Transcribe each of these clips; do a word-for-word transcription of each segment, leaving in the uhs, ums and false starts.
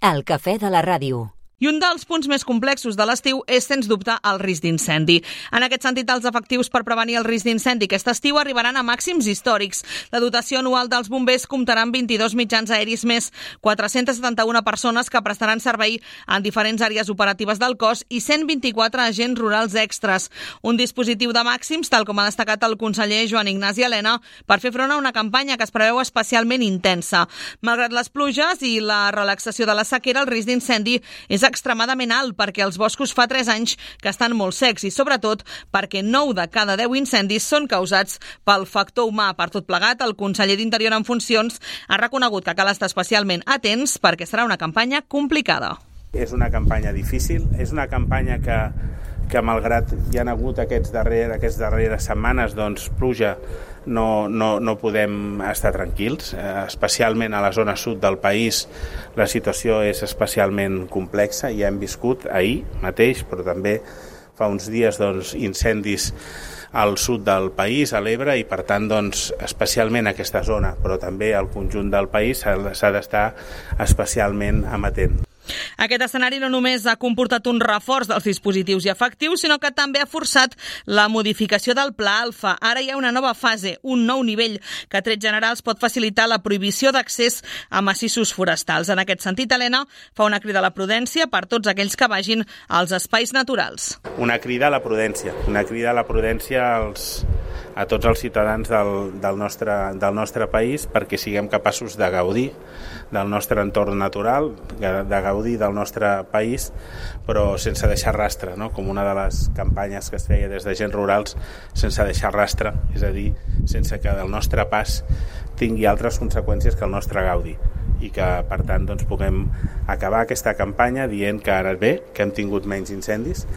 El cafè de la ràdio. I un dels punts més complexos de l'estiu és, sens dubte, el risc d'incendi. En aquest sentit, els efectius per prevenir el risc d'incendi aquest estiu arribaran a màxims històrics. La dotació anual dels bombers comptarà amb vint-i-dos mitjans aeris més, quatre-cents setanta-una persones que prestaran servei en diferents àrees operatives del cos i cent vint-i-quatre agents rurals extras. Un dispositiu de màxims, tal com ha destacat el conseller Joan Ignasi Elena, per fer front a una campanya que es preveu especialment intensa. Malgrat les pluges i la relaxació de la sequera, el risc d'incendi és extremadament alt perquè els boscos fa tres anys que estan molt secs i, sobretot, perquè nou de cada deu incendis són causats pel factor humà. Per tot plegat, el conseller d'Interior en funcions ha reconegut que cal estar especialment atents perquè serà una campanya complicada. És una campanya difícil, és una campanya que, que malgrat hi ha hagut aquests darrer, aquestes darreres setmanes, doncs, pluja, no, no, no podem estar tranquils, eh, especialment a la zona sud del país la situació és especialment complexa, ja hem viscut ahir mateix, però també fa uns dies doncs, incendis al sud del país, a l'Ebre, i per tant doncs, especialment aquesta zona, però també al conjunt del país s'ha d'estar especialment amatent. Aquest escenari no només ha comportat un reforç dels dispositius i efectius, sinó que també ha forçat la modificació del Pla Alfa. Ara hi ha una nova fase, un nou nivell, que a trets generals pot facilitar la prohibició d'accés a massissos forestals. En aquest sentit, Elena fa una crida a la prudència per tots aquells que vagin als espais naturals. Una crida a la prudència, una crida a la prudència als, a tots els ciutadans del, del, nostre, del nostre país perquè siguem capaços de gaudir del nostre entorn natural, de gaudir del nostre país, però sense deixar rastre, no? Com una de les campanyes que es feia des d'agents rurals, sense deixar rastre, és a dir, sense que el nostre pas tingui altres conseqüències que el nostre gaudi, i que, per tant, doncs, puguem acabar aquesta campanya dient que ara bé, que hem tingut menys incendis.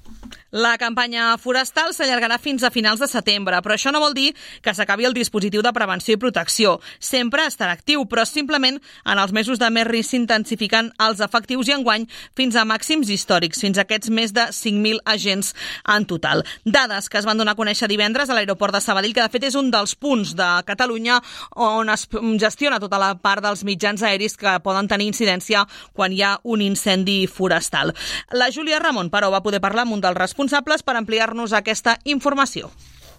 La campanya forestal s'allargarà fins a finals de setembre, però això no vol dir que s'acabi el dispositiu de prevenció i protecció. Sempre estarà actiu, però simplement en els mesos de més risc s'intensifiquen els efectius i enguany fins a màxims històrics, fins a aquests més de cinc mil agents en total. Dades que es van donar a conèixer divendres a l'aeroport de Sabadell, que de fet és un dels punts de Catalunya on es gestiona tota la part dels mitjans aeris que poden tenir incidència quan hi ha un incendi forestal. La Júlia Ramon, però, va poder parlar amb un dels responsables per ampliar-nos aquesta informació.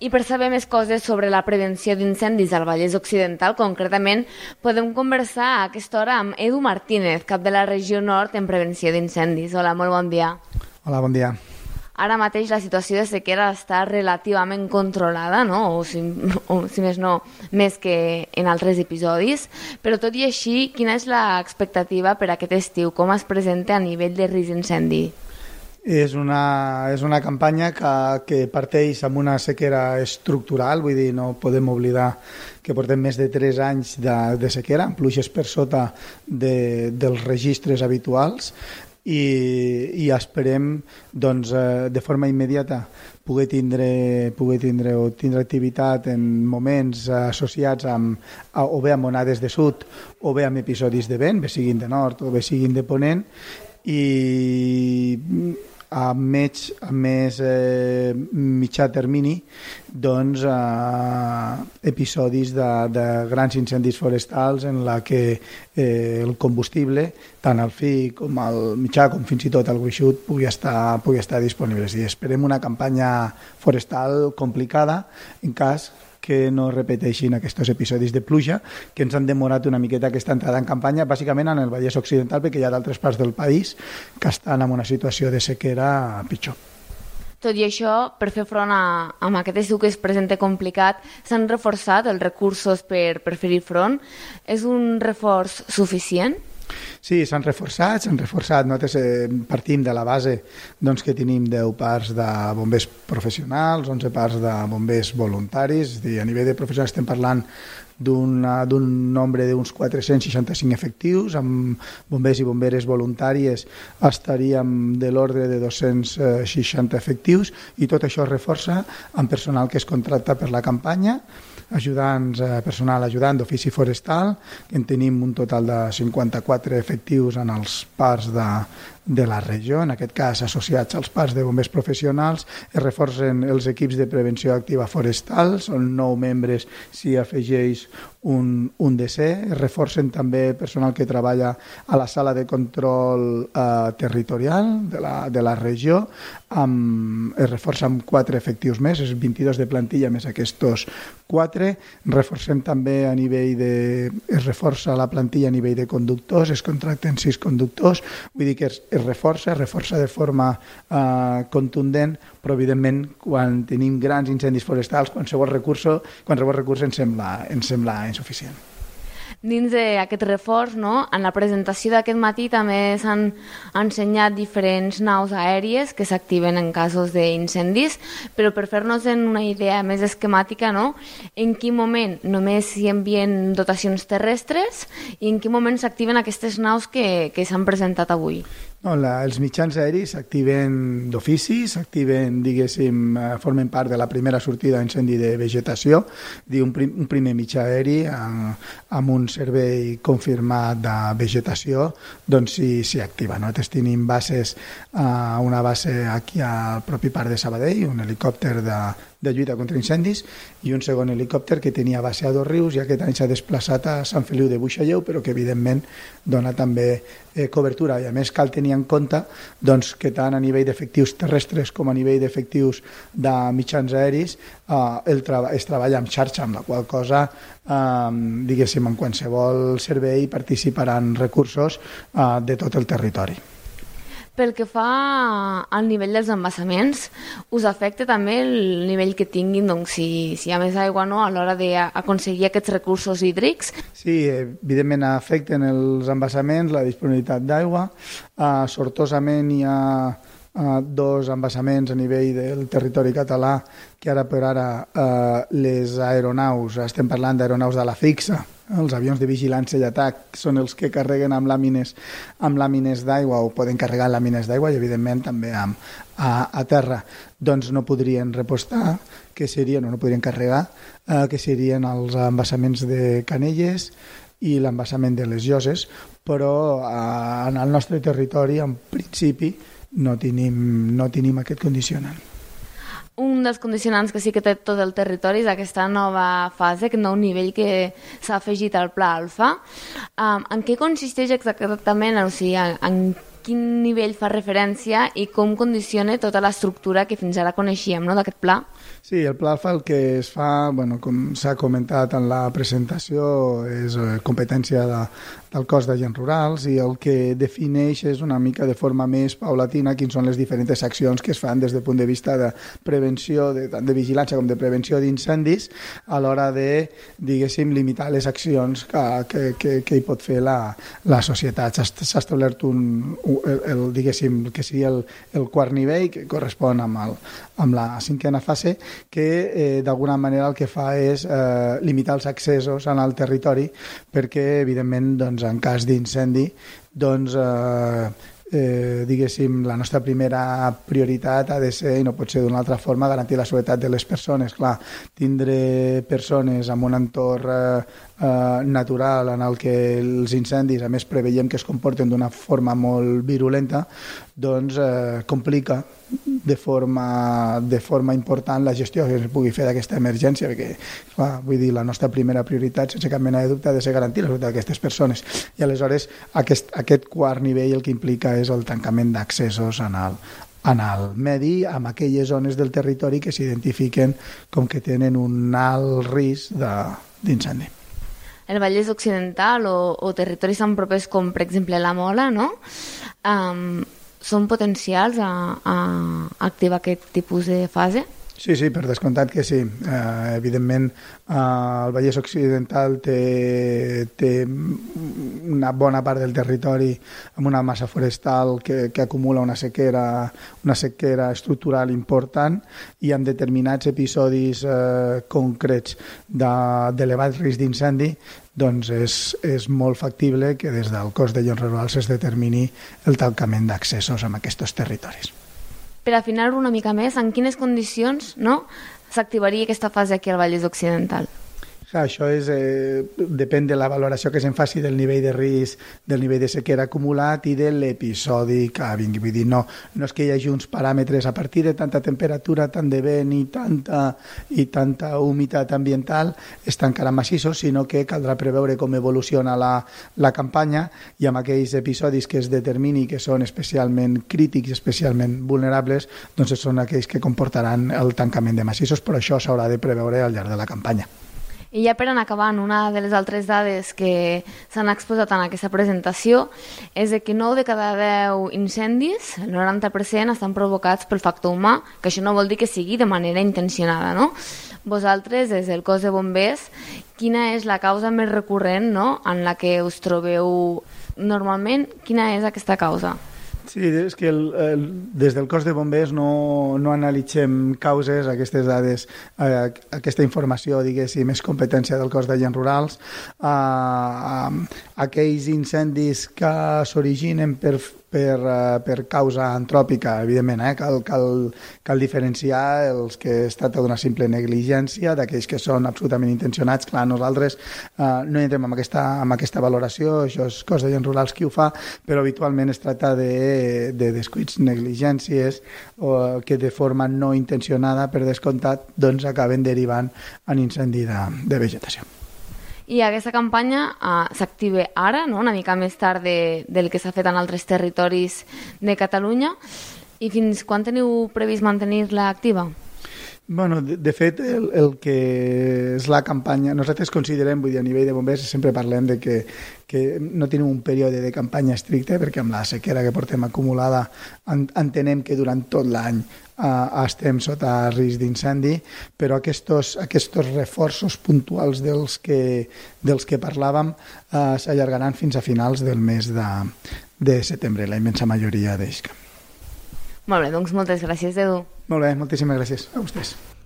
I per saber més coses sobre la prevenció d'incendis al Vallès Occidental, concretament, podem conversar a aquesta hora amb Edu Martínez, cap de la regió nord en prevenció d'incendis. Hola, molt bon dia. Hola, bon dia. Ara mateix la situació de sequera està relativament controlada, no? o, si, o si més no, més que en altres episodis, però tot i així, quina és l'expectativa per aquest estiu? Com es presenta a nivell de risc d'incendi? És una, és una campanya que, que parteix amb una sequera estructural, vull dir, no podem oblidar que portem més de tres anys de, de sequera, amb pluges per sota de, dels registres habituals, i, i esperem doncs, de forma immediata poder tindre, poder tindre o tindre activitat en moments associats amb, a, o bé amb onades de sud o bé amb episodis de vent, bé siguin de nord o bé siguin de ponent, i a més, a més eh, mitjà termini doncs, eh, episodis de, de grans incendis forestals en la que eh, el combustible, tant el fi com el mitjà com fins i tot el gruixut pugui estar, pugui estar disponible. I esperem una campanya forestal complicada en cas que no repeteixin aquests episodis de pluja que ens han demorat una miqueta aquesta entrada en campanya, bàsicament en el Vallès Occidental, perquè hi ha d'altres parts del país que estan en una situació de sequera pitjor. Tot i això, per fer front a, a aquest estiu que es presenta complicat, s'han reforçat els recursos per, per fer-hi front. És un reforç suficient? Sí, s'han reforçat, s'han reforçat. Nosaltres eh, partim de la base doncs, que tenim deu parcs de bombers professionals, onze parcs de bombers voluntaris. És a dir, a nivell de professionals estem parlant d'un nombre d'uns quatre-cents seixanta-cinc efectius, amb bombers i bomberes voluntàries estaríem de l'ordre de dos-cents seixanta efectius, i tot això es reforça amb personal que es contracta per la campanya, ajudants, personal ajudant d'ofici forestal, que en tenim un total de cinquanta-quatre efectius en els parcs de, de la regió, en aquest cas associats als parcs de bombers professionals. Es reforcen els equips de prevenció activa forestal, són nou membres, s'hi afegeix un, un D C. Es reforcen també personal que treballa a la sala de control eh, territorial de la, de la regió, amb, es reforça amb quatre efectius més, és vint-i-dos de plantilla més aquests quatre. Reforcem també a nivell de... es reforça la plantilla a nivell de conductors, es contracten sis conductors, vull dir que es, es reforça, es reforça de forma eh, contundent, però evidentment quan tenim grans incendis forestals qualsevol recurs, qualsevol recurs ens sembla, ens sembla insuficient. Dins d'aquest reforç, no? En la presentació d'aquest matí també s'han ensenyat diferents naus aèries que s'activen en casos d'incendis, però per fer-nos una idea més esquemàtica, no? En quin moment només hi envien dotacions terrestres i en quin moment s'activen aquestes naus que, que s'han presentat avui? No, la, els mitjans aeris s'activen d'ofici, s'activen, diguéssim, formen part de la primera sortida d'incendi de vegetació, un, prim, un primer mitjà aeri amb, amb un servei confirmat de vegetació, doncs s'hi sí, activa. Nosaltres tenim bases, uh, una base aquí al propi parc de Sabadell, un helicòpter de, de lluita contra incendis, i un segon helicòpter que tenia base a Dosrius i aquest any s'ha desplaçat a Sant Feliu de Buixalleu, però que evidentment dona també eh, cobertura, i a més cal tenir en compte doncs, que tant a nivell d'efectius terrestres com a nivell d'efectius de mitjans aeris eh, el treba- es treballa amb xarxa, amb la qual cosa eh, diguéssim, en qualsevol servei participaran recursos eh, de tot el territori. Pel que fa al nivell dels embassaments, us afecta també el nivell que tinguin, doncs, si, si hi ha més aigua, no?, a l'hora d'aconseguir aquests recursos hídrics? Sí, evidentment afecten els embassaments, la disponibilitat d'aigua. Uh, sortosament hi ha uh, dos embassaments a nivell del territori català que ara per ara uh, les aeronaus, estem parlant d'aeronaus de la fixa, els avions de vigilància i atac són els que carreguen amb làmines, amb làmines d'aigua o poden carregar làmines d'aigua i evidentment també amb, a, a terra doncs no podrien repostar, que serien o no podrien carregar, eh, que serien els embassaments de Canelles i l'embassament de les Lloses, però eh, en el nostre territori en principi no tenim, no tenim aquest condicionant. Un dels condicionants que sí que té tot el territori és aquesta nova fase, aquest nou nivell que s'ha afegit al Pla Alfa. Um, en què consisteix exactament? O sigui, en, en quin nivell fa referència i com condiciona tota l'estructura que fins ara coneixíem, no?, d'aquest pla? Sí, el Pla Alfa el que es fa, bueno, com s'ha comentat en la presentació, és competència de, del cos d'agents rurals i el que defineix és una mica de forma més paulatina quins són les diferents accions que es fan des del punt de vista de prevenció, de, tant de vigilància com de prevenció d'incendis, a l'hora de, diguéssim, limitar les accions que, que, que, que hi pot fer la, la societat. S'ha establert un, el, el, diguéssim, que sigui el, el quart nivell, que correspon amb, el, amb la cinquena fase, que eh, d'alguna manera el que fa és eh, limitar els accessos en el territori perquè, evidentment, doncs, en cas d'incendi, doncs, eh, eh, diguéssim, la nostra primera prioritat ha de ser, i no pot ser d'una altra forma, garantir la seguretat de les persones. Clar, tindre persones en un entorn eh, eh, natural en el que els incendis, a més, preveiem que es comporten d'una forma molt virulenta, doncs eh, complica de forma, de forma important la gestió que es pugui fer d'aquesta emergència, perquè, clar, vull dir, la nostra primera prioritat, sense cap mena de dubte, ha de ser garantir la seguretat d'aquestes persones. I aleshores aquest, aquest quart nivell el que implica és el tancament d'accessos en el, en el medi, amb aquelles zones del territori que s'identifiquen com que tenen un alt risc d'incendi. El Vallès Occidental o, o territoris tan propers com, per exemple, la Mola, no?, Um, són potencials a, a activar aquest tipus de fase? Sí, sí, per descomptat que sí. Eh, evidentment, eh, el Vallès Occidental té, té una bona part del territori amb una massa forestal que, que acumula una sequera, una sequera estructural important i amb determinats episodis eh, concrets d'elevat risc d'incendi, doncs és, és molt factible que des del cos d'agents rurals es determini el tancament d'accessos en aquests territoris. Per afinar-ho una mica més, en quines condicions, no?, s'activaria aquesta fase aquí al Vallès Occidental? Clar, això és, eh, depèn de la valoració que se'n faci del nivell de risc, del nivell de sequera acumulat i de l'episodi que vingui. Vull dir, no, no és que hi hagi uns paràmetres a partir de tanta temperatura, tant de vent i tanta, i tanta humitat ambiental es tancaran massissos, sinó que caldrà preveure com evoluciona la, la campanya i amb aquells episodis que es determini que són especialment crítics, especialment vulnerables, doncs són aquells que comportaran el tancament de massissos, però això s'haurà de preveure al llarg de la campanya. I ja per anar acabant, una de les altres dades que s'han exposat en aquesta presentació és que nou de cada deu incendis, el noranta per cent, estan provocats pel factor humà, que això no vol dir que sigui de manera intencionada, no? Vosaltres, des del cos de bombers, quina és la causa més recurrent, no?, en la que us trobeu normalment? Quina és aquesta causa? Sí, és que el, el, des del cos de bombers no, no analitzem causes, aquestes dades, eh, aquesta informació, diguéssim, és competència del cos d'agents rurals. Eh, eh, aquells incendis que s'originen per, per, eh, per causa antròpica, evidentment, eh, cal, cal, cal diferenciar els que es tracta d'una simple negligència d'aquells que són absolutament intencionats. Clar, nosaltres eh, no entrem en aquesta, en aquesta valoració, això és cos d'agents rurals qui ho fa, però habitualment es tracta de de descuits, negligències o que de forma no intencionada, per descomptat, doncs acaben derivant en incendi de, de vegetació. I aquesta campanya uh, s'activa ara, no?, una mica més tard de, del que s'ha fet en altres territoris de Catalunya. I fins quan teniu previst mantenir-la activa? Bueno, de, de fet, el, el que és la campanya, nosaltres considerem, vull dir, a nivell de bombers, sempre parlem de que, que no tenim un període de campanya estricte, perquè amb la sequera que portem acumulada en, entenem que durant tot l'any eh, estem sota risc d'incendi, però aquests, aquests reforços puntuals dels que, dels que parlàvem eh, s'allargaran fins a finals del mes de, de setembre, la immensa majoria d'ells. Molt bé, doncs moltes gràcies, Edu. Molt bé, moltíssimes gràcies a vostès.